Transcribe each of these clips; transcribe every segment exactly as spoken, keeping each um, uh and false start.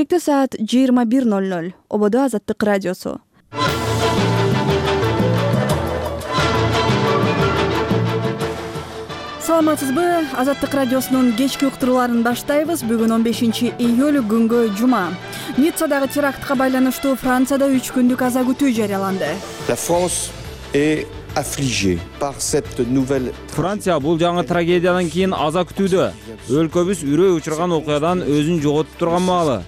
Бишкекте саат жыйырма бир ноль ноль. Ободо Азаттык радиосу. Саламатсызбы? Азаттык радиосунун кечки уктурууларын баштайбыз. Бүгүн он бешинчи июль күнгө жума. Ниццадагы терактка байланыштуу Францияда үч күндүк аза күтүү жарыяланды. La France est affligée par cette nouvelle. Франция бул жаңы трагедиядан кийин аза күтүүдө. Өлкөбүз үрөй учурган окуядан өзүн жоготуп турган маалы.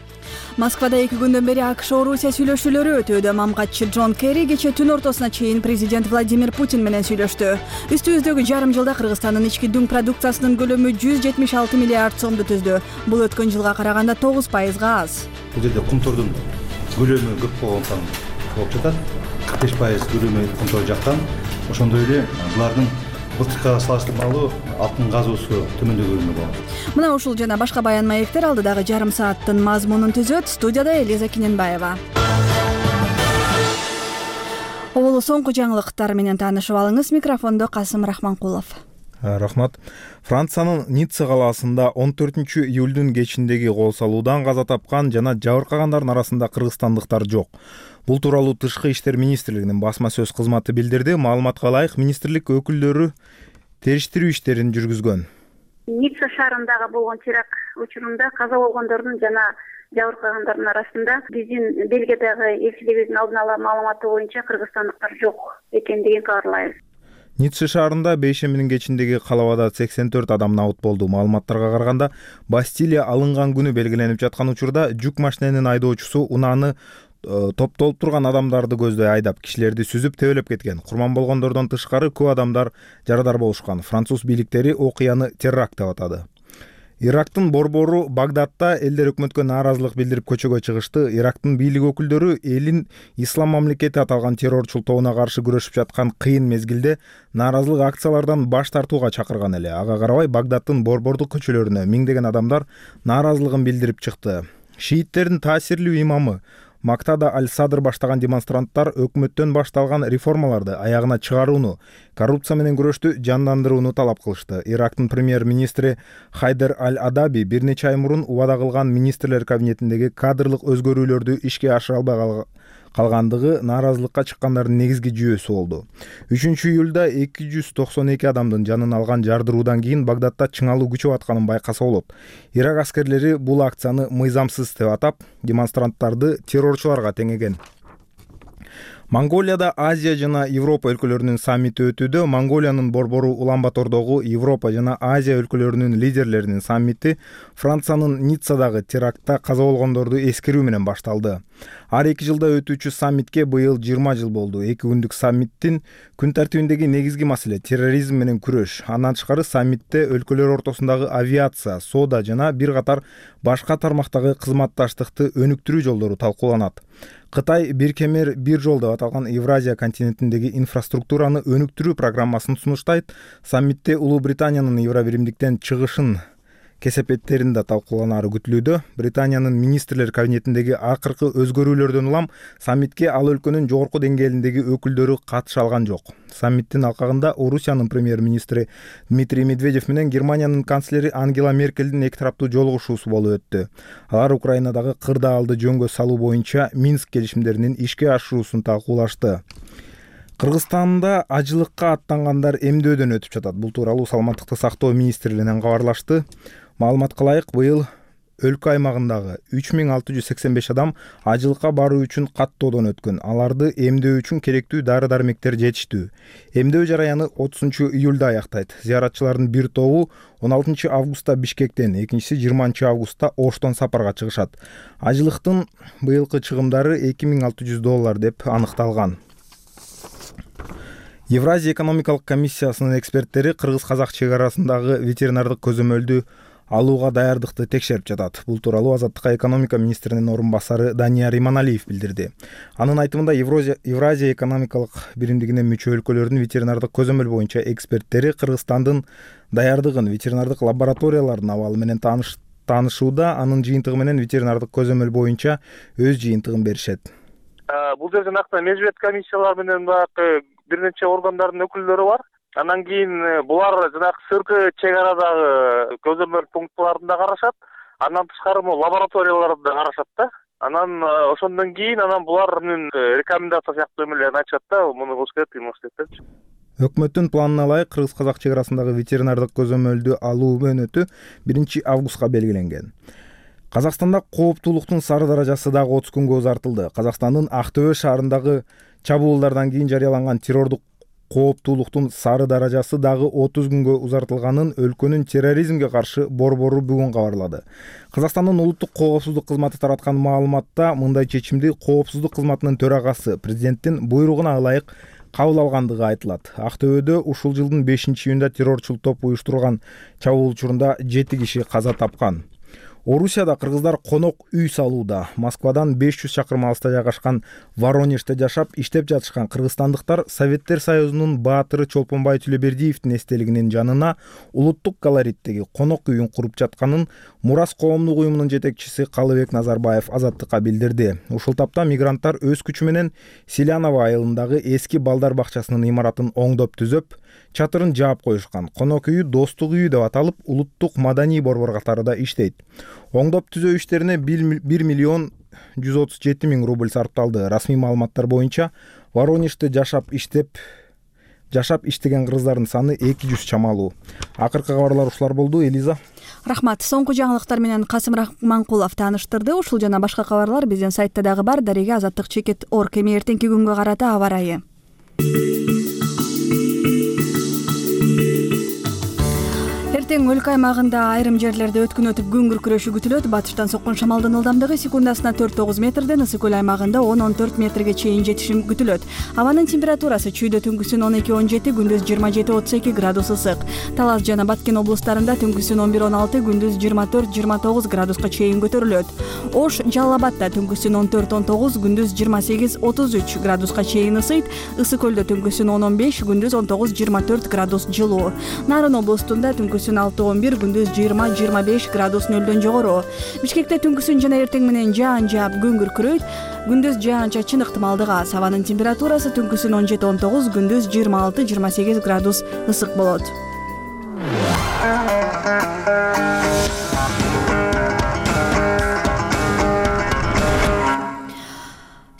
Москвада эки күндөн бери АКШ Орусия сүйлөшүүлөрү өтүүдө. Мамгатчы Джон Керри кечээ түн ортосуна чейин президент Владимир Путин менен сүйлөштү. Үстүбүздөгү жарым жылда Кыргызстандын ички дүң продукциясынын көлөмү жүз жетимиш алты миллиард сомду түздү. Бул өткөн жылга караганда тогуз пайызга аз. Бул жерде кумтордун көлөмү көп болгондуктан болуп жатат. кырк беш пайыз көлөмү кумтор жактан. Ошондой эле булардын былтыркыга салыштырмалуу алтын казуусу төмөндөгөнү болот. Мына ушул жана башка баян маектер алдыдагы жарым сааттын мазмунун түзөт. Студияда Элиза Киненбаева. Оболу соңку жаңылыктар менен таанышып алыңыз. Микрофондо Касым Рахманкулов. Рахмат. Франциянын Ницца калаасында он төртүнчү июлдун кечиндеги кол салуудан каза тапкан жана жабыркагандардын арасында кыргызстандыктар жок. Бул тууралуу Тышкы иштер министрлигинин басма сөз кызматы билдирди. Маалыматка ылайык, министрлик өкүлдөрү териштирүү иштерин жүргүзгөн. Ницца шаарындагы болгон теракт учурунда каза болгондордун жана жабыркагандардын арасында биздин Бельгиядагы элчилигибиздин алдын ала маалыматы боюнча кыргызстандыктар жок экендигин кабарлайбыз. Ницца шаарында бейшембинин кечиндеги калабада сексен төрт адам набыт болду. Маалыматтарга караганда, Бастилия алынган күнү белгиленип жаткан учурда жүк машиненин айдоочусу унааны топтолуп турган адамдарды көздөй айдап, кишилерди сүзүп тебелеп кеткен. Курман болгондордон тышкары көп адамдар жарадар болушкан. Француз бийликтери окуяны теракт деп атады. Ирактын борбору Багдадта элдер өкмөткө нааразылык билдирип көчөгө чыгышты. Ирактын бийлик өкүлдөрү элин ислам мамлекети аталган террорчул тобуна каршы күрөшүп жаткан кыйын мезгилде нааразылык акциялардан баш тартууга чакырган эле. Ага карабай Багдадтын борбордук көчөлөрүнө миңдеген адамдар нааразылыгын билдирип чыкты. Шииттердин таасирлүү имамы Мактада Аль-Садр баштаган демонстранттар өкмөттөн башталган реформаларды аягына чыгарууну, коррупция менен күрөштү жандандырууну талап кылышты. Ирактын премьер-министри Хайдер Аль-Адаби бир нече ай мурун убада кылган министрлер кабинетиндеги кадрлык өзгөрүүлөрдү ишке ашыра албай калгандыгы нааразылыкка чыккандардын негизги жүйөсү болду. үчүнчү июлда эки жүз токсон эки адамдын жанын алган жардыруудан кийин Багдадта чыңалуу күчөп атканын байкаса болот. Ирак аскерлери бул акцияны мыйзамсыз деп атап, демонстранттарды террорчуларга теңеген. Монголияда Азия жана Европа өлкөлөрүнүн саммити өтүүдө. Монголиянын борбору Улан-Батордогу Европа жана Азия өлкөлөрүнүн лидерлеринин саммити Франциянын Ниццадагы терактта каза болгондорду эскерүү менен башталды. Ар эки жылда өтүүчү саммитке быйыл жыйырма жыл болду. Эки күндүк саммиттин күн тартибиндеги негизги маселе терроризм менен күрөш. Андан тышкары саммитте өлкөлөр ортосундагы авиация, соода жана бир катар башка тармактагы кызматташтыкты өнүктүрүү жолдору талкууланат. Кытай бир кемер бир жол деп аталган Евразия континентиндеги инфраструктураны өнүктүрүү программасын сунуштайт. Саммитте Улуу Британиянын Евробиримдиктен чыгышын кесепеттерин да талкууланары күтүлүүдө. Британиянын министрлер кабинетиндеги акыркы өзгөрүүлөрдөн улам саммитке ал өлкөнүн жогорку деңгээлиндеги өкүлдөрү катыша алган жок. Саммиттин алкагында Орусиянын премьер-министри Дмитрий Медведев менен Германиянын канцлери Ангела Меркелдин эки тараптуу жолугушуусу болуп өттү. Алар Украинадагы кырдаалды жөнгө салуу боюнча Минск келишимдеринин ишке ашыруусун талкуулашты. Кыргызстанда ажылыкка аттангандар эмдөөдөн өтүп жатат. Бул тууралуу Саламаттыкты сактоо министрлигинен кабарлашты. Маалыматка ылайык, быйыл өлкө аймагындагы үч миң алты жүз сексен беш адам ажылыкка баруу үчүн каттоодон өткөн. Аларды эмдөө үчүн керектүү дары-дармектер жетиштүү. Эмдөө жараяны отузунчу июлда аяктайт. Зыяратчылардын бир тобу он алтынчы августта Бишкектен, экинчиси жыйырманчы августта Оштон сапарга чыгышат. Ажылыктын быйылкы чыгымдары эки миң алты жүз доллар деп аныкталган. Евразия экономикалык комиссиясынын эксперттери кыргыз-казак чек арасындагы ветеринардык көзөмөлдү алууга даярдыкты текшерип жатат. Бул тууралуу Азаттыкка экономика министринин орун басары Данияр Иманалиев билдирди. Анын айтымында Евразия экономикалык биримдигине мүчө өлкөлөрдүн ветеринардык көзөмөл боюнча эксперттери Кыргызстандын даярдыгын, ветеринардык лабораториялардын абалы менен таанышууда, анын жыйынтыгы менен ветеринардык көзөмөл боюнча өз жыйынтыгын беришет. Бул жерде накта межбет комиссиялар менен баягы бир нече органдардын өкүлдөрү бар. Андан кийин булар жанагы сырткы чек арадагы көзөмөл пунктларында карашат. Андан тышкары могу лабораторияларды карашат да. Анан ошондон кийин анан булардын рекомендация сыяктуу эмелерин айтышат да, муну кылыш керек, тигини кылыш керек депчи. Өкмөттүн планына ылайык кыргыз-казак чек арасындагы ветеринардык көзөмөлдү алуу мөөнөтү биринчи августка белгиленген. Казакстанда кооптуулуктун сары даражасы дагы отуз күнгө узартылды. Казакстандын Актөбө шаарындагы чабуулдардан кийин жарыяланган террордук кооптуулуктун сары даражасы дагы отуз күнгө узартылганын өлкөнүн терроризмге каршы борбору бүгүн кабарлады. Казакстандын улуттук коопсуздук кызматы тараткан маалыматта мындай чечимди коопсуздук кызматынын төрагасы президенттин буйругуна ылайык кабыл алгандыгы айтылат. Актөбөдө ушул жылдын бешинчи июнда террорчул топ уюштурган чабуул учурунда жети киши каза тапкан. Орусияда кыргыздар конок үй салууда. Москвадан беш жүз чакырым алыста жайгашкан Воронежде жашап, иштеп жатышкан кыргызстандыктар Советтер Союзунун баатыры Чолпонбай Түлөбердиевдин эстелигинин жанына улуттук колориттеги конок үйүн куруп жатканын Мурас коомдук уюмунун жетекчиси Калыбек Назарбаев Азаттыкка билдирди. Ушул тапта мигранттар өз күчү менен Селяново айылындагы эски балдар бакчасынын имаратын оңдоп түзөп, чатырын жаап коюшкан. Конок үйү Достук үйү деп аталып, улуттук маданий борбор катарында иштейт. Оңдоп түзөө иштерине бир миллион жүз отуз жети миң рубль сарпталды. Расмий маалыматтар боюнча Воронежде жашап иштеп жашап иштеген кыргыздардын саны эки жүз чамалуу. Акыркы кабарлар ушулар болду. Элиза. Рахмат. Соңку жаңылыктар менен Касым Рахманкулов тааныштырды. Ушул жана башка кабарлар биздин сайтта дагы бар. Дареге азаттык чекит точка орг. Эми эртеңки күнгө карата аба ырайы. Эртең өлкө аймагында айрым жерлерде өткүн өтүп күн күркүрөшү күтүлөт. Батыштан соккон шамалдын ылдамдыгы секундасына төрт тогуз метрден, ысык көл аймагында он он төрт метрге чейин жетиши күтүлөт. Абанын температурасы чүйдө түнкүсүн он эки он жети, күндүз жыйырма жети отуз эки градус ысык. Талас жана Баткен облустарында түнкүсүн он бир он алты, күндүз жыйырма төрт жыйырма тогуз градуска чейин көтөрүлөт. Ош, Жалал Абадта түнкүсүн он төрт он тогуз, күндүз жыйырма сегиз отуз үч градуска чейин ысыйт. Ысык көлдө түнкүсүн он он беш, күндүз он тогуз жыйырма төрт градус жылуу. Нарын облустунда түнкүсүн алты он бир, күндүз жыйырма жыйырма беш градус нөлдөн жогору. Бишкекте түнкүсүн жана эртең менен жаан жаап күн күркүрөйт. Күндүз жаан-чачын ыктымалдыгы аз. Абанын температурасы түнкүсүн он жети он тогуз, күндүз жыйырма алты жыйырма сегиз градус ысык болот.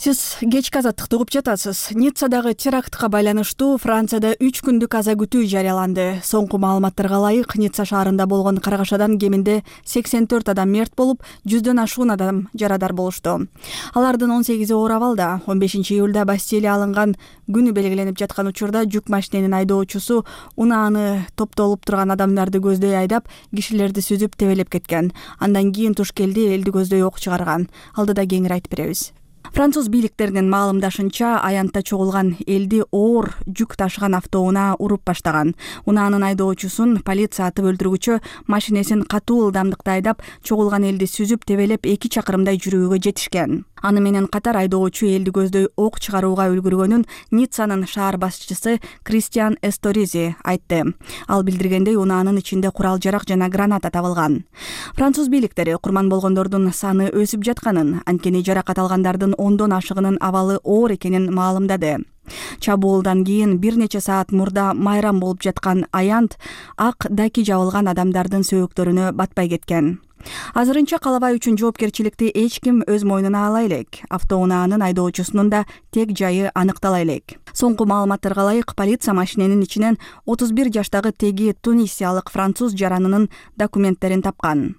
Сиз кечки азаттыкты угуп жатасыз. Ниццадагы терактка байланыштуу Францияда үч күндүк аза күтүү жарыяланды. Соңку маалыматтарга ылайык, Ницца шаарында болгон каргашадан кеминде сексен төрт адам мерт болуп, жүздөн ашуун адам жарадар болушту. Алардын он сегизи оор абалда. он бешинчи июлда Бастилия алынган күнү белгиленип жаткан учурда жүк машиненин айдоочусу унааны топтолуп турган адамдарды көздөй айдап, кишилерди сүзүп тебелеп кеткен. Андан кийин туш келди, элди көздөй ок чыгарган. Алдыда кеңири айтып беребиз. Француз бийликтеринин маалымдашынча, аянтта чогулган элди оор жүк ташыган автоунаа уруп баштаган. Унаанын айдоочусун полиция атып өлтүргүчө машинесин катуу ылдамдыкта айдап, чогулган элди сүзүп тебелеп эки чакырымдай жүрүүгө жетишкен. Аны менен катар айдоочу элди көздөй ок чыгарууга үлгүргөнүн Ниццанын шаар башчысы Кристиан Эсторизи айтты. Ал билдиргендей, унаанын ичинде курал-жарак жана граната табылган. Француз бийликтери курман болгондордун саны өсүп жатканын, анткени жаракат алгандардын ондон ашыгынын абалы оор экенин маалымдады. Чабуулдан кийин бир нече саат мурда майрам болуп жаткан аянт ак даки жабылган адамдардын сөөктөрүнө батпай кеткен. Азырынча калабай үчүн жоопкерчиликти эч ким өз мойнуна ала элек. Автоунаанын айдоочусунун да тек жайы аныктала элек. Соңку маалыматтарга ылайык, полиция машиненин ичинен отуз бир жаштагы теги тунисиялык француз жаранынын документтерин тапкан.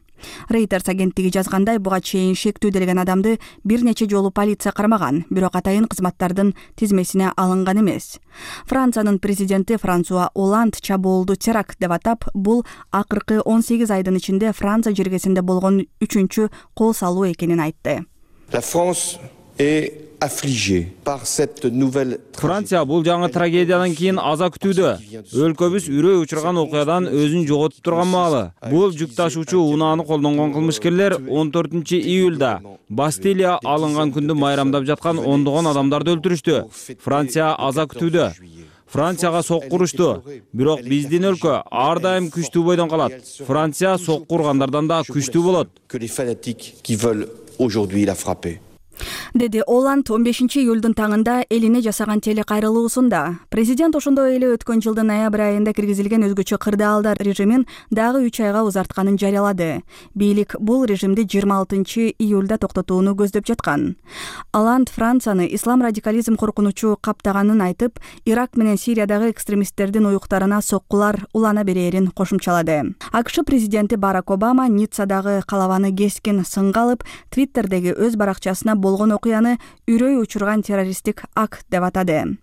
Reuters агенттиги жазгандай, буга чейин шектүү делген адамды бир нече жолу полиция кармаган, бирок атайын кызматтардын тизмесине алынган эмес. Франциянын президенти Франсуа Оланд чабуулду теракт деп атап, бул акыркы он сегиз айдын ичинде Франция жергесинде болгон үчүнчү кол салуу экенин айтты. La France est affligée par cette nouvelle. Франция бул жаңы трагедиядан кийин аза күтүүдө. Өлкөбүз үрөй учурган окуядан өзүн жоготуп турган маалы. Бул жүк ташуучу унааны колдонгон кылмышкерлер он төртүнчү июлда Бастилия алынган күндү майрамдап жаткан ондогон адамдарды өлтүрүштү. Франция аза күтүүдө. Францияга сокку урушту. Бирок биздин өлкө ар дайым күчтүү бойдон калат. Франция сокку ургандардан да күчтүү болот. Que les fanatiques qui veulent aujourd'hui la frapper. деди Оланд он бешинчи июлдун таңында элине жасаган телекайрылуусунда. Президент ошондой эле өткөн жылдын ноябрь айында киргизилген өзгөчө кырдаалдар режимин дагы үч айга узартканын жарыялады. Бийлик бул режимди жыйырма алтынчы июлда токтотууну көздөп жаткан. Оланд Францияны ислам радикализм коркунучу каптаганын айтып, Ирак менен Сириядагы экстремисттердин уюктарына соккулар улана берерин кошумчалады. АКШ президенти Барак Обама Ниццадагы калабаны кескин сынга алып, Твиттердеги өз баракчасына болгон окуяны үрөй учурган террористтик акт деп атады.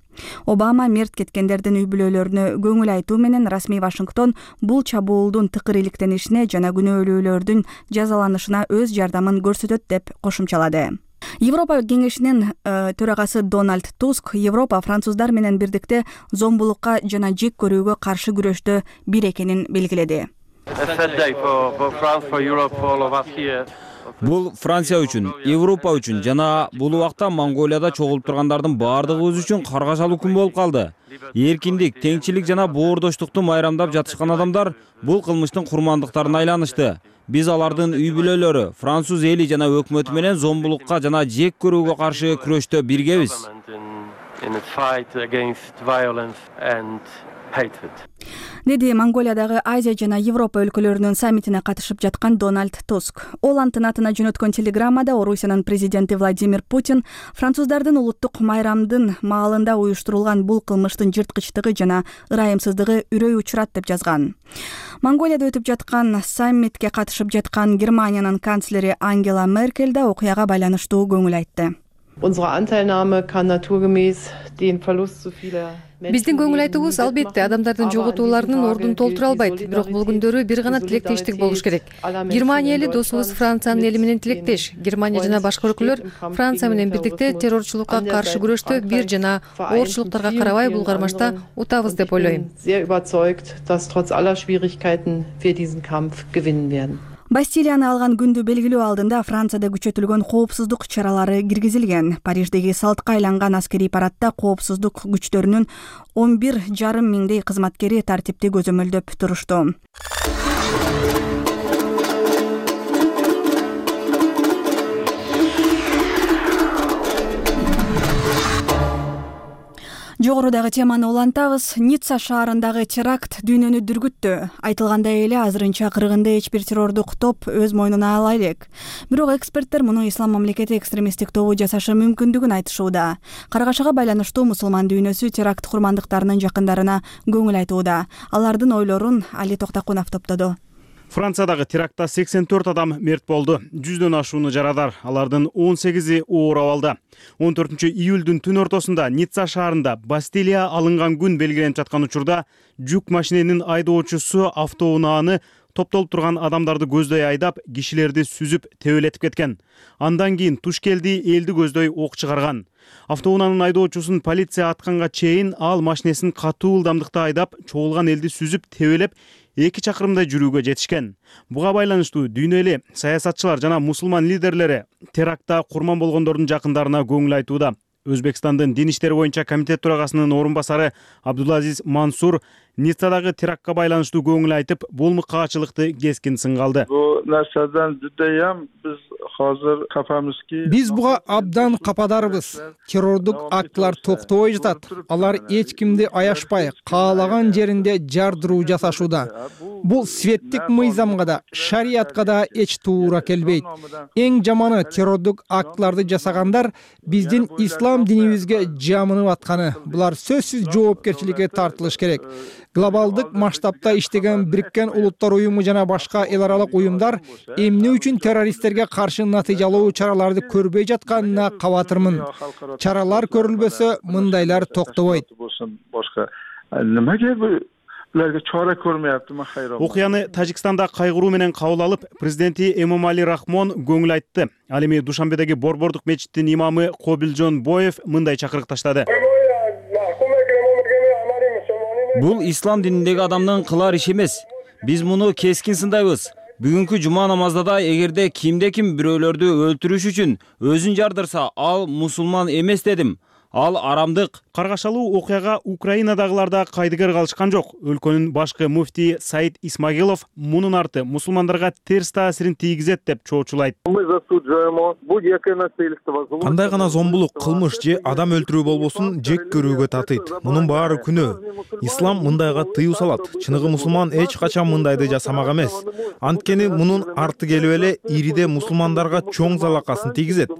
Обама мерт кеткендердин үй бүлөлөрүнө көңүл айтуу менен расмий Вашингтон бул чабуулдун тыкыр иликтенишине жана күнөөлүүлөрдүн жазаланышына өз жардамын көрсөтөт деп кошумчалады. Европа кеңешинин э, төрагасы Дональд Туск Европа француздар менен бирдикте зомбулукка жана жек көрүүгө каршы күрөштө бир экенин белгиледи. Бул Франция үчүн, Европа үчүн жана бул убакта Монголияда чогулуп тургандардын баардыгыбыз үчүн каргашалуу күн болуп калды. Эркиндик, теңчилик жана боордоштукту майрамдап жатышкан адамдар бул кылмыштын курмандыктарына айланышты. Биз алардын үй бүлөлөрү, француз эли жана өкмөтү менен зомбулукка жана жек көрүүгө каршы күрөштө биргебиз. Деди Монголиядагы Азия жана Европа өлкөлөрүнүн саммитине катышып жаткан Дональд Туск. Оландтын атына жөнөткөн телеграммада Орусиянын президенти Владимир Путин француздардын улуттук майрамдын маалында уюштурулган бул кылмыштын жырткычтыгы жана ырайымсыздыгы үрөй учурат деп жазган. Монголияда өтүп жаткан саммитке катышып жаткан Германиянын канцлери Ангела Меркель да окуяга байланыштуу көңүл айтты. Биздин көңүл айтуубуз албетте адамдардын жоготууларынын ордун толтура албайт, бирок бул күндөрү бир гана тилектештик болуш керек. Германия эли досубуз Франциянын эли менен тилектеш. Германия жана башка өлкөлөр Франция менен бирдикте террорчулукка каршы күрөштө бир жана оорчулуктарга карабай бул кармашта утабыз деп ойлойм. Бастилияны алган күндү белгилөө алдында Францияда күчөтүлгөн коопсуздук чаралары киргизилген. Париждеги салтка айланган аскерий парадта коопсуздук күчтөрүнүн он бир жарым миңдей кызматкери тартипти көзөмөлдөп турушту. Жогорудагы теманы улантабыз. Ницца шаарындагы теракт дүйнөнү дүргүттү. Айтылгандай эле азырынча кыргынды эч бир террордук топ өз мойнуна ала элек. Бирок эксперттер муну ислам мамлекети экстремисттик тобу жасашы мүмкүндүгүн айтышууда. Каргашага байланыштуу мусулман дүйнөсү теракт курмандыктарынын жакындарына көңүл айтууда. Алардын ойлорун Али Токтакунов топтоду. Франциядагы терактта сексен төрт адам мерт болду. жүздөн ашууну жарадар. Алардын он сегизи оор абалда. он төртүнчү июлдун түн ортосунда Ницца шаарында Бастилия алынган күн белгиленип жаткан учурда жүк машиненин айдоочусу автоунааны топтолуп турган адамдарды көздөй айдап, кишилерди сүзүп тебелетип кеткен. Андан кийин туш келди, элди көздөй ок чыгарган. Автоунаанын айдоочусун полиция атканга чейин ал машинесин катуу ылдамдыкта айдап, чогулган элди сүзүп тебелеп, эки чакырымдай жүрүүгө жетишкен. Буга байланыштуу дүйнө эли саясатчылар жана мусулман лидерлери терактта курман болгондордун жакындарына көңүл айтууда. Өзбекстандын дин иштери боюнча комитет төрагасынын орун басары Абдулазиз Мансур Ниццадагы терактка байланыштуу көңүл айтып, бул мыкаачылыкты кескин сынга алды. Бул нерседен жудайам биз азыр капамызки. Биз буга абдан кападарбыз. Террордук актылар токтобой жатат. Алар эч кимди аяшпай, каалаган жеринде жардыруу жасашууда. Бул светтик мыйзамга да, шариятка да эч туура келбейт. Эң жаманы террордук актыларды жасагандар биздин ислам динибизге жамынып атканы. Булар сөзсүз жоопкерчиликке тартылыш керек. Глобалдык масштабта иштеген Бириккен Улуттар уюму жана башка эл аралык уюмдар эмне үчүн террористтерге каршы натыйжалуу чараларды көрбөй жатканына кабатырмын. Чаралар көрүлбөсө, мындайлар токтобойт. Немеге буларга чара көрмөйаптымы хайран. Окуяны Тажикстанда кайгыруу менен кабыл алып, президенти Эмомали Рахмон көңүл айтты. Ал эми Душанбедеги Борбордук мечиттин имамы Кобилжон Боев мындай чакырык таштады. Бул ислам дининдеги адамдын кылар иши эмес. Биз муну кескин сындайбыз. Бүгүнкү жума намазда да эгерде кимде ким бирөөлөрдү өлтүрүш үчүн өзүн жардырса, ал мусулман эмес дедим. ал арамдык. Каргашалуу окуяга Украинадагылар да кайдыгер калышкан жок. Өлкөнүн башкы муфтии Саид Исмагилов мунун арты мусулмандарга терс таасирин тийгизет деп чоочулайт. Кандай гана зомбулук, кылмыш же адам өлтүрүү болбосун жек көрүүгө татыйт. Мунун баары күнөө. Ислам мындайга тыюу салат. Чыныгы мусулман эч качан мындайды жасамак эмес. Анткени мунун арты келип эле ириде мусулмандарга чоң залакасын тийгизет.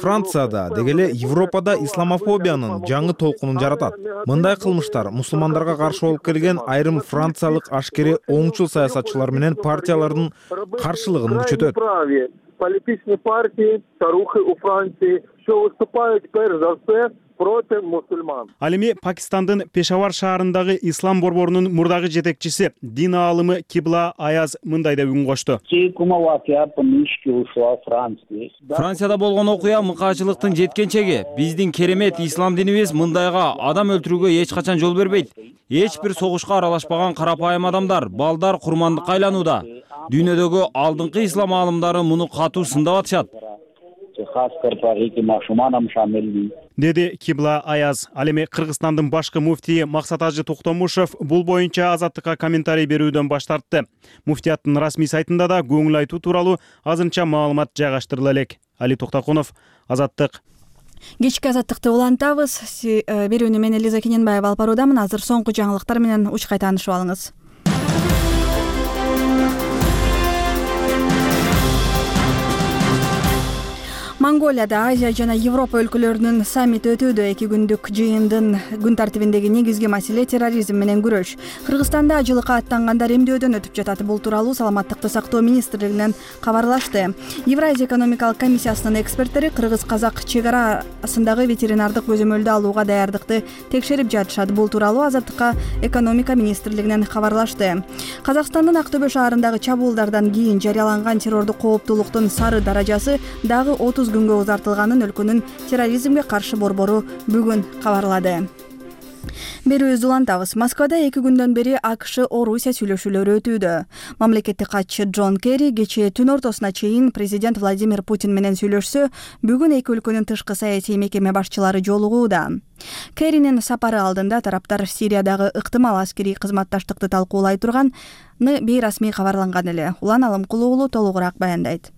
Францияда деги эле Европада исламофобиянын жаңы толкунун жаратат. Мындай кылмыштар мусулмандарга каршы болуп келген айрым франциялык ашкери оңчул саясатчылар менен партиялардын каршылыгын күчөтөт. Политичные партии, старухи у Франции, что выступают перш за все против мусульман. Ал эми Пакистандын Пешавар шаарындагы ислам борборунун мурдагы жетекчиси, дин аалымы Кибла Аяз мындай деп үн кошту. Францияда болгон окуя мыкаачылыктын жеткенчеги. Биздин керемет ислам динибиз мындайга адам өлтүрүүгө эч качан жол бербейт. Эч бир согушка аралашпаган карапайым адамдар, балдар курмандыкка айланууда. Дүйнөдөгү алдыңкы ислам аалымдары муну катуу сындап атышат. Деди Кибла Аяз. Ал эми Кыргызстандын башкы муфтии Максат Ажы Токтомушев бул боюнча Азаттыкка комментарий берүүдөн баш тартты. Муфтияттын расмий сайтында да көңүл айтуу тууралуу азырынча маалымат жайгаштырыла элек. Али Токтокунов, Азаттык. Кечки Азаттыкты улантабыз. Берүүнү мен Элиза Кененбаева алып баруудамын. Азыр соңку жаңылыктар менен учкай таанышып алыңыз. Монголияда Азия жана Европа өлкөлөрүнүн саммити өтүүдө. Эки күндүк жыйындын күн тартибиндеги негизги маселе терроризм менен күрөш. Кыргызстанда жылыкка аттангандар эмдөөдөн өтүп жатат. Бул тууралуу Саламаттыкты сактоо министрлигинен кабарлашты. Евразия экономикалык комиссиясынын эксперттери кыргыз-казак чек арасындагы ветеринардык көзөмөлдү алууга даярдыкты текшерип жатышат. Бул тууралуу Азаттыкка экономика министрлигинен кабарлашты. Казакстандын Актөбө шаарындагы чабуулдардан кийин жарыяланган террордук кооптуулуктун сары даражасы дагы отуз күнгө узартылганын өлкөнүн терроризмге каршы борбору бүгүн кабарлады. Берүүбүздү улантабыз. Москвада эки күндөн бери АКШ Орусия сүйлөшүүлөрү өтүүдө. Мамлекеттик катчы Джон Керри кечээ түн ортосуна чейин президент Владимир Путин менен сүйлөшсө, бүгүн эки өлкөнүн тышкы саясий мекеме башчылары жолугууда. Керринин сапары алдында тараптар Сириядагы ыктымал аскерий кызматташтыкты талкуулай турганы бейрасмий кабарланган эле. Улан Алымкулуу уулу толугураак баяндайт.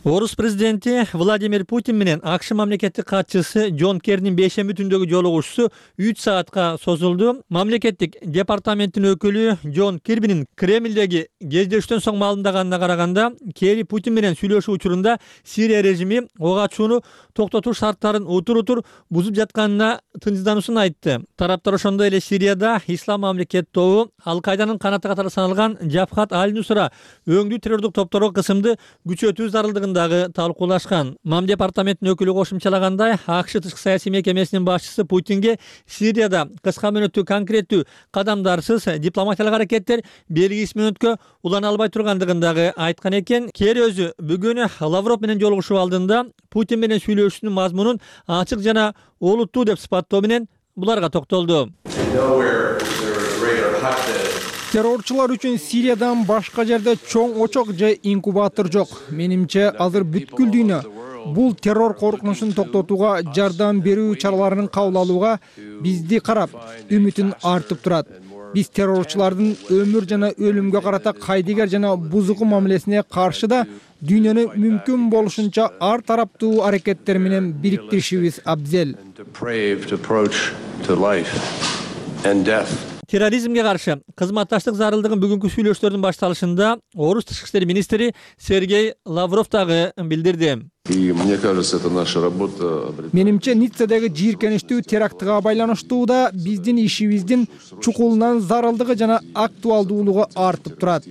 Орус президенти Владимир Путин менен АКШ мамлекеттик катчысы Джон Керринин бейшемби түндөгү жолугушуусу үч саатка созулду. Мамлекеттик департаменттин өкүлү Джон Кирбинин Кремлдеги кездештен соң маалымдаганына караганда, Керри Путин менен сүйлөшүү учурунда Сирия режими ок ачууну токтотуш шарттарын утур-утур бузуп жатканына тынчсыздануусун айтты. Тараптар ошондой эле Сирияда Ислам мамлекет тобу Ал-Кайданын канаты катары саналган Жабхат Аль-Нусра өңдүү террордук топторго кысымды күчөтүү зарылдыгындагы талкуулашкан. Мам департаментинин өкүлү кошумчалагандай, АКШ тышкы саясий мекемесинин башчысы Путинге Сирияда кыска мөөнөттүү конкреттүү кадамдарсыз дипломатиялык аракеттер белгисиз мөөнөткө улана албай тургандыгын дагы айткан экен. Керри өзү бүгүн Лавров менен жолугушуу алдында Путин менен сүйлөшүүнүн мазмунун ачык жана олуттуу деп сыпаттоо менен буларга токтолду. Террорчулар үчүн Сириядан башка жерде чоң очок же инкубатор жок. Менимче азыр бүткүл дүйнө бул террор коркунучун токтотууга жардам берүү чараларын кабыл алууга бизди карап, үмүтүн артып турат. Биз террорчулардын өмүр жана өлүмгө карата кайдыгер жана бузуку мамилесине каршы да дүйнөнү мүмкүн болушунча ар тараптуу аракеттер менен бириктиришибиз абзел. Терроризмге каршы кызматташтык зарылдыгын бүгүнкү сүйлөшүүлөрдүн башталышында Орус тышкы иштер министри Сергей Лавров дагы билдирди. Менимче Ниццадагы жийиркеничтүү терактыга байланыштуу да биздин ишибиздин чукулунан зарылдыгы жана актуалдуулугу артып турат.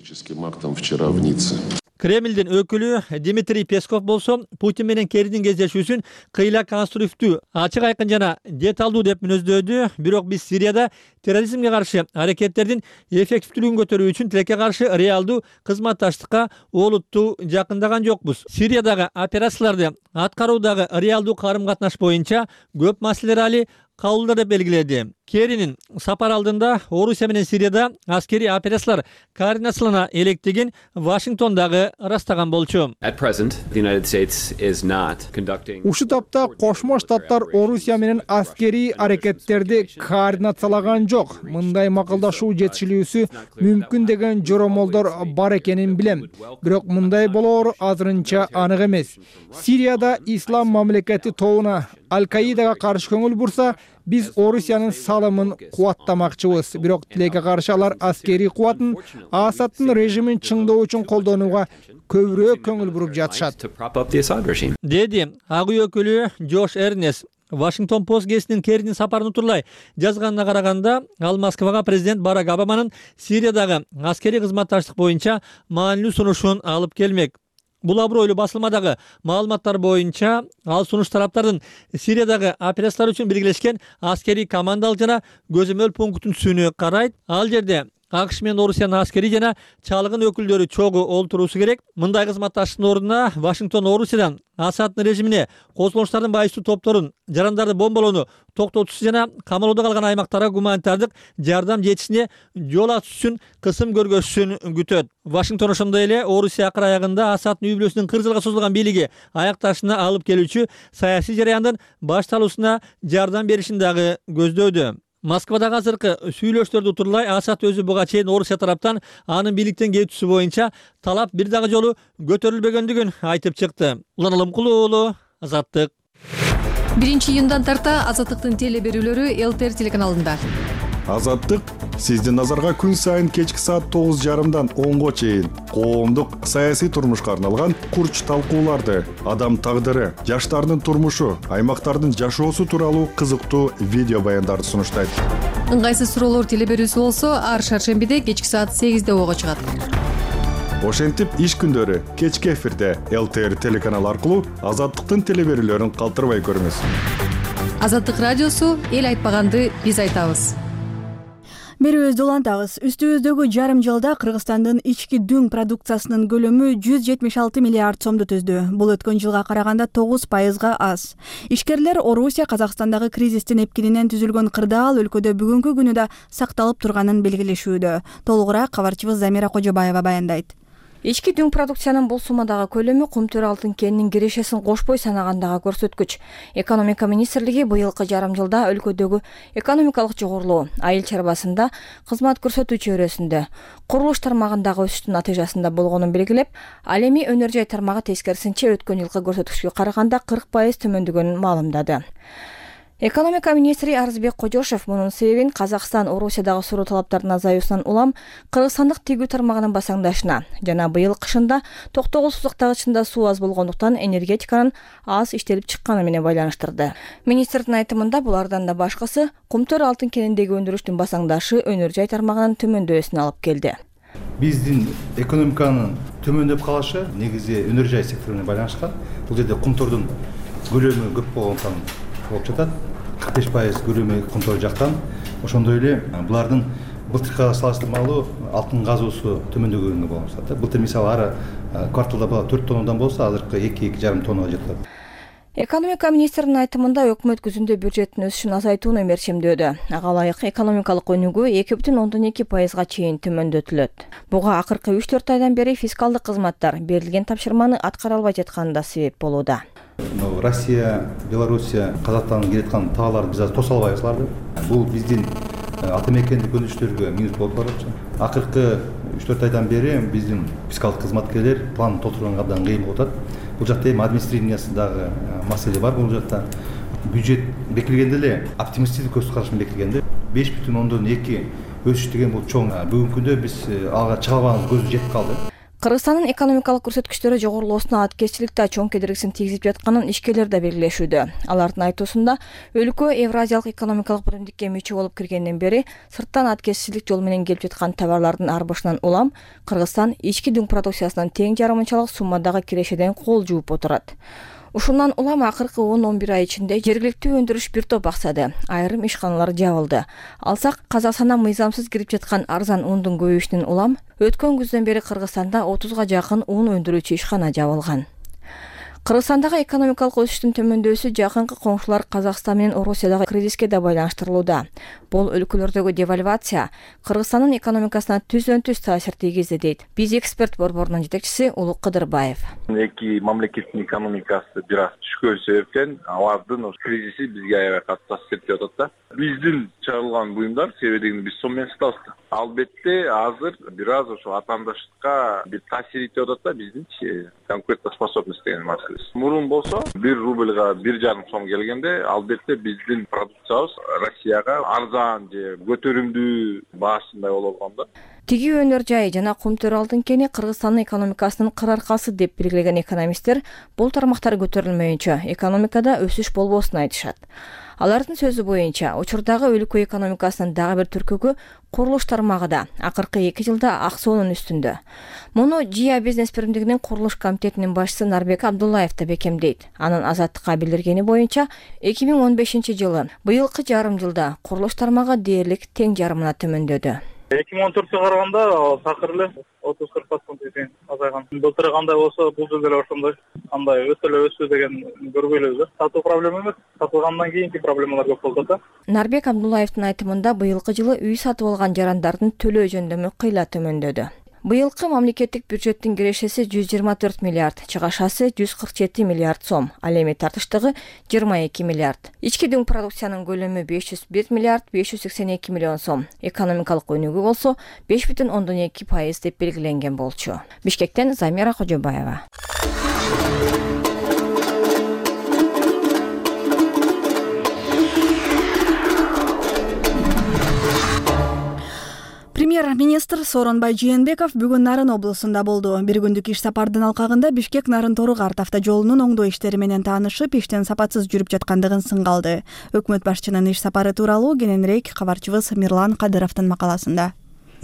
Кремлдин өкүлү Дмитрий Песков болсо Путин менен Керринин кездешүүсүн кыйла конструктивдүү, ачык айкын жана деталдуу деп мүнөздөдү. Бирок биз Сирияда терроризмге каршы аракеттердин эффективдүүлүгүн көтөрүү үчүн тилекке каршы реалдуу кызматташтыкка олуттуу жакындаган жокпуз. Сириядагы операцияларды аткаруудагы реалдуу карым-катнаш боюнча көп маселелер али кабылдар деп белгиледи. Керринин сапар алдында Орусия менен Сирияда аскерий операциялар координациялана электигин Вашингтондагы ырастаган болчу. Ушул тапта Кошмо Штаттар Орусия менен аскерий аракеттерди координациялаган жок. Мындай макулдашуу жетишилүүсү мүмкүн деген жоромолдор бар экенин билем. Бирок мындай болоор азырынча анык эмес. Сирияда ислам мамлекети тобуна Аль-Каидага каршы көңүл бурса, биз Орусиянын салымын кубаттамакчыбыз. Бирок тилекке каршы алар аскерий кубатын Асадтын режимин чыңдоо үчүн колдонууга көбүрөөк көңүл буруп жатышат, деди ак үй өкүлү Джош Эрнес. Вашингтон Пост гезитинин Керринин сапарын утурлай жазганына караганда, ал Москвага президент Барак Обаманын Сириядагы аскерий кызматташтык боюнча маанилүү сунушун алып келмек. Бул абройлуу басылмадагы маалыматтар боюнча, ал сунуш тараптардын Сириядагы операциялар үчүн биргелешкен аскерий командалык жана көзөмөл пунктүнү карайт. Ал жерде АКШ менен Орусиянын аскерий жана чалгын өкүлдөрү чогуу олтуруусу керек. Мындай кызматташтыктын ордуна Вашингтон Орусиядан Асадтын режимине козголуштардын байыстуу топторун жарандарды бомбалоону токтотуусу жана камалоодо калган аймактарга гуманитардык жардам жетишине жол ачуу үчүн кысым көргөзүшүн күтөт. Вашингтон ошондой эле Орусия акыр аягында Асадтын үй бүлөсүнүн кырк жылга созулган бийлиги аякташына алып келүүчү саясий жараяндын башталуусуна жардам беришин дагы көздөдү. Москвадагы азыркы сүйлөштөрдү утурлай Асад өзү буга чейин Орусия тараптан анын бийликтен кетүүсү боюнча талап бир дагы жолу көтөрүлбөгөндүгүн айтып чыкты. Улан Алымкулуу уулу, Азаттык. биринчи июндан тарта Азаттыктын теле берүүлөрү ЛТР телеканалында. Азаттык сиздин назарга күн сайын кечки саат тогуз жарымдан онго чейин коомдук саясий турмушка арналган курч талкууларды, адам тагдыры, жаштардын турмушу, аймактардын жашоосу тууралуу кызыктуу видео баяндарды сунуштайт. Ыңгайсыз суроолор теле берүүсү болсо, ар шаршембиде кечки саат сегизде ого чыгат. Ошентип иш күндөрү кечки эфирде ЛТР телеканалы аркылуу Азаттыктын теле берүүлөрүн калтырбай көрүңүз. Азаттык радиосу эл айтпаганды биз айтабыз. Берүүбүздү улантабыз. Үстүбүздөгү жарым жылда Кыргызстандын ички дүң продукциясынын көлөмү жүз жетимиш алты миллиард сомду түздү. Бул өткөн жылга караганда тогуз пайызга аз. Ишкерлер Орусия Казакстандагы кризистин эпкининен түзүлгөн кырдаал өлкөдө бүгүнкү күнү да сакталып турганын белгилешүүдө. Толугураак кабарчыбыз Замира Кожобаева баяндайт. Ички дүң продукциянын бул суммадагы көлөмү Кумтөр алтын кенинин кирешесин кошпой санагандагы көрсөткүч. Экономика министрлиги быйылкы жарым жылда өлкөдөгү экономикалык жогорулуу, айыл чарбасында, кызмат көрсөтүү чөйрөсүндө, курулуш тармагындагы өсүштүн натыйжасында болгонун белгилеп, ал эми өнөр жай тармагы тескерисинче өткөн жылкы көрсөткүчкө караганда кырк пайыз төмөндөгөнүн маалымдады. Экономика министри Арызбек Кожошев мунун себебин Казакстан Орусиядагы суроо талаптарынын азаюусунан улам кыргызстандык тигүү тармагынын басаңдашына жана быйыл кышында токтогул сузактагычында суу аз болгондуктан энергетиканын аз иштелип чыкканы менен байланыштырды. Министрдин айтымында булардан да башкысы Кумтөр алтын кениндеги өндүрүштүн басаңдашы өнөр жай тармагынын төмөндөсүнө алып келди. Биздин экономиканын төмөндөп калышы негизи өнөр жай секторуна байланышкан. Бул жерде Кумтөрдүн көлөмү көп болгондуктан болуп жатат. кырк беш пайыз көлөмү Кумтөр жактан. Ошондой эле булардын былтыркыга салыштырмалуу алтын казуусу төмөндөгөнгө болот. Былтыр мисалы ар кварталда төрт тоннадан болсо, азыркы эки эки жарым тоннага жетет. Экономика министринин айтымында өкмөт күзүндө бюджеттин өсүшүн азайтууну мерчемдөөдө. Ага ылайык экономикалык өнүгүү эки бүтүн ондон эки пайызга чейин төмөндөтүлөт. Буга акыркы үч төрт айдан бери фискалдык кызматтар берилген тапшырманы аткара албай жатканы да себеп болууда. Россия, Белоруссия, Казакстандан келаткан товарларды биз азыр тоса албайбыз аларды. Бул биздин ата мекендик өндүрүштөргө минус болуп баратат. Акыркы үч төрт айдан бери биздин фискалдык кызматкерлер план толтурганга абдан кыйын болуп атат. Бул жакта эми администрированиясындагы маселе бар. Бул жакта бюджет бекилгенде эле оптимисттик көз карашын бекилгенде беш бүтүн ондон эки өсүш деген бул чоң. Бүгүнкү күндө биз ага чыга албаганыбыз көзү жетип калды. Кыргызстандын экономикалык көрсөткүчтөрү жогорулоосуна аткезчиликте чоң кедергисин тийгизип жатканын ишкерлер да белгилешүүдө. Алардын айтуусунда өлкө Евразиялык экономикалык биримдикке мүчө болуп киргенден бери сырттан аткезчилик жол менен келип жаткан товарлардын арбышынан улам Кыргызстан ички дүң продукциясынын тең жарымынчалык суммадагы кирешеден кол жууп отурат. Ушундан улам акыркы он он бир ай ичинде жергиликтүү өндүрүш бир топ аксады, айрым ишканалар жабылды. Алсак Казакстандан мыйзамсыз кирип жаткан арзан ундун көбөйүшүнөн улам өткөн күздөн бери Кыргызстанда отузга жакын ун өндүрүүчү ишкана жабылган. Кыргызстандагы экономикалык өсүштүн төмөндөшү жакынкы коңшулар Казакстан менен Орусиядагы кризиске да байланыштырылууда. Бул өлкөлөрдөгү девальвация Кыргызстандын экономикасына түздөн түз таасир тийгизди дейт Биз эксперт борборунун жетекчиси Улук Кыдырбаев. Эки мамлекеттин экономикасы бир аз түшкөн себептен алардын кризиси бизге аябай катуу таасир этип атат да. Биздин чыгарылган буюмдар себебин биз сом менен сатабыз. Албетте азыр бир аз ошо атаандаштыкка бир таасир этип атат да биздин конкурентоспособность деген маселе. Мурун болсо бир рубльга бир жарым сом келгенде албетте биздин продукциябыз Россияга арзан же көтөрүмдүү баасындай болуп алган да. Тиги өнөр жай жана кумтөр алтын кени Кыргызстандын экономикасынын кыр аркасы деп белгилеген экономисттер бул тармактар көтөрүлмөйүнчө экономикада өсүш болбосун айтышат. Алардын сөзү боюнча, учурдагы өлкө экономикасынын дагы бир түркүгү курулуш тармагы да акыркы эки жылда аксоонун үстүндө. Муну ЖИА бизнес биримдигинин курулуш комитетинин башчысы Нарбек Абдуллаев да бекемдейт. Анын Азаттыкка билдиргени боюнча, эки миң он бешинчи жылы быйылкы жарым жылда курулуш тармагы дээрлик тең жарымына төмөндөдү. эки миң он төрткө караганда такыр эле отуз кырк процент тең азайган. Былтыр кандай болсо бул жыл деле ошондой. Кандай өсө эле өсүү деген көрбөйлүбүз да. Сатуу проблема эмес, сатылгандан кийинки проблемалар көп болот да. Нарбек Абдуллаевдин айтымында быйылкы жылы үй сатып алган жарандардын төлөө жөндөмү кыйла төмөндөдү. Быйылкы мамлекеттик бюджеттин кирешеси жүз жыйырма төрт миллиард, чыгашасы жүз кырк жети миллиард сом, ал эми тартыштыгы жыйырма эки миллиард. Ички дүң продукциянын көлөмү беш жүз бир миллиард беш жүз сексен эки миллион сом. Экономикалык өнүгүү болсо беш бүтүн ондон эки пайыз деп белгиленген болчу. Бишкектен Замира Кожобаева. Премьер-министр Сооронбай Жээнбеков бүгүн Нарын облусунда болду. Бир күндүк иш сапардын алкагында Бишкек Нарын Тору-Карт автожолунун оңдоо иштери менен таанышып, иштин сапатсыз жүрүп жаткандыгын сынга алды. Өкмөт башчынын иш сапары тууралуу кененирээк кабарчыбыз Мирлан Кадыровдун макаласында.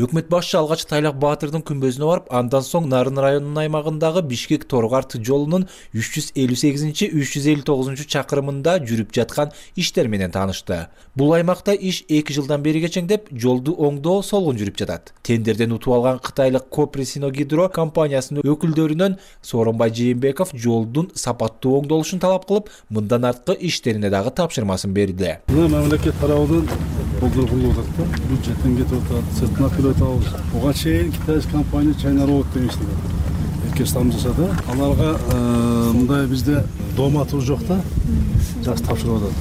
Өкмөт башчы алгач Тайлак Баатырдын күмбөзүнө барып, андан соң Нарын районунун аймагындагы Бишкек Тору-Карт жолунун үч жүз элүү сегизинчи үч жүз элүү тогузунчу чакырымында жүрүп жаткан иштер менен таанышты. Бул аймакта иш эки жылдан бери кечеңдеп, жолду оңдоо солгун жүрүп жатат. Тендерден утуп алган кытайлык Копресиногидро компаниясынын өкүлдөрүнөн Сооронбай Жээнбеков жолдун сапаттуу оңдолушун талап кылып, мындан арткы иштерине дагы тапшырмасын берди. Мамлекет тарабынан колдонулуп атат, бюджеттен кетип атат, сыртына Буга чейин китайский компания China Road деген иштеген. Эки стам жасады. Аларга мындай бизде домату жок да. Жас тапшырып атат.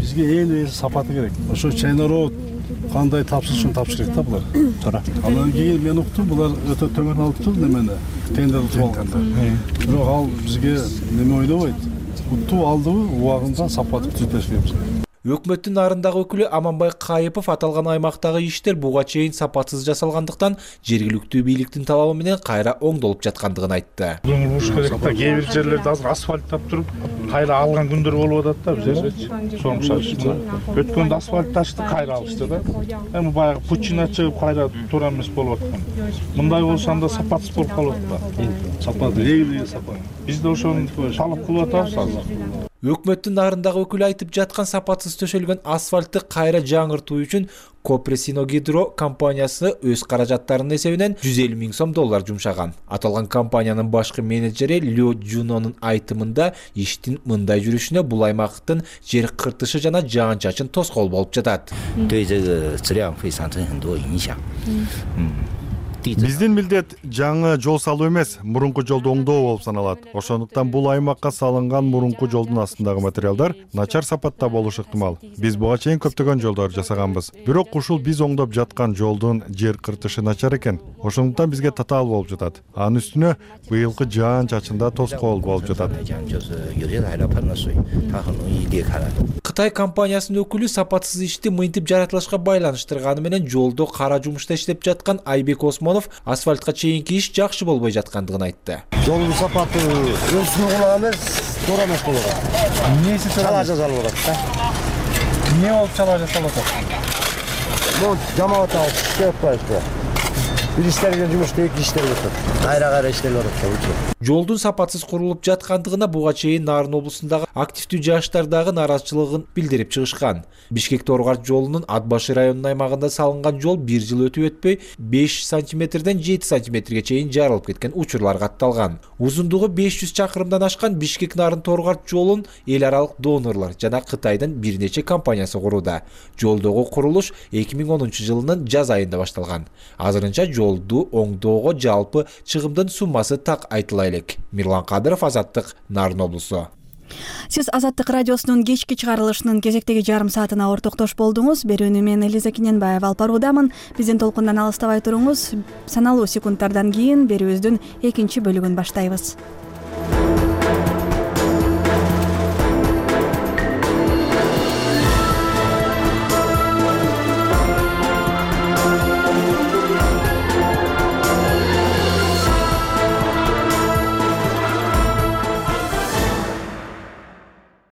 Бизге эң эле сапаты керек. Ошо China Road кандай тапшырышын тапшырык да булар. Туура. Андан кийин мен уктум, булар өтө төмөн алыптыр немени. Тендер утуп алганда. Бирок ал бизге неме ойлобойт. Утуп алдыбы, убагында сапаты түзөтөш керекпиз. Өкмөттүн нарындагы өкүлү Аманбай Кайыпов аталган аймактагы иштер буга чейин сапатсыз жасалгандыктан жергиликтүү бийликтин талабы менен кайра оңдолуп жаткандыгын айтты. Оңдолуш керек да, кээ бир жерлерде азыр асфальт таптырып, кайра алган күндөр болуп атат да бизде. Соң шашты. Өткөндө асфальт ташты, кайра алышты да. Эми баягы пучина чыгып кайра туура эмес болуп аткан. Мындай болсо анда сапатсыз болуп калат да. Сапат, эң сапат. Биз да ошону талап кылып атабыз азыр. Өкмөттүн нарындагы өкүлү айтып жаткан сапатсыз төшөлгөн асфальтты кайра жаңыртуу үчүн Копресиногидро компаниясы өз каражаттарынын эсебинен жүз элүү миң сом доллар жумшаган. Аталган компаниянын башкы менеджери Лё Жунонун айтымында иштин мындай жүрүшүнө бул аймактын жер кыртышы жана жаан-чачын тоскоол болуп жатат. Биздин милдет жаңы жол салуу эмес, мурунку жолду оңдоо болуп саналат. Ошондуктан бул аймакка салынган мурунку жолдун астындагы материалдар начар сапатта болушу ыктымал. Биз буга чейин көптөгөн жолдор жасаганбыз. Бирок ушул биз оңдоп жаткан жолдун жер кыртышы начар экен. Ошондуктан бизге татаал болуп жатат. Анын үстүнө быйылкы жаан-чачында тоскоол болуп жатат. Кытай компаниясынын өкүлү сапатсыз ишти мынтип жаратылышка байланыштырганы менен жолдо кара жумушта иштеп жаткан Айбек Осмонов асфальтка чейинки иш жакшы болбой жаткандыгын айтты. Жолдун сапаты өзүнүн кулак эмес, туура эмес болуп атат. Эмнеси чала жасалып атат да? Эмне болуп чала жасалып атат? Бул жамаат алып иштеп атпайбы? бир иштелген жумушту эки иштелип атат. Кайра кайра иштелип атат. Жолдун сапатсыз курулуп жаткандыгына буга чейин Нарын облусундагы активдүү жаштар дагы нааразычылыгын билдирип чыгышкан. Бишкек Торгар жолунун Ат башы районунун аймагында салынган жол бир жыл өтүп өтпөй беш сантиметрден жети сантиметрге чейин жарылып кеткен учурлар катталган. Узундугу беш жүз чакырымдан ашкан Бишкек Нарын Торгар жолун эл аралык донорлор жана Кытайдын бир нече компаниясы курууда. Жолдогу курулуш эки миң онунчу жылынын жаз айында башталган. Азырынча жолду оңдоого жалпы чыгымдын суммасы так айтыла элек. Мирлан Кадыров, Азаттык, Нарын облусу. Сиз Азаттык радиосунун кечки чыгарылышынын кезектеги жарым саатына ортоктош болдуңуз. Берүүнү мен Элиза Кененбаева алып баруудамын. Биздин толкундан алыстабай туруңуз. Саналуу секундтардан кийин берүүбүздүн экинчи бөлүгүн баштайбыз.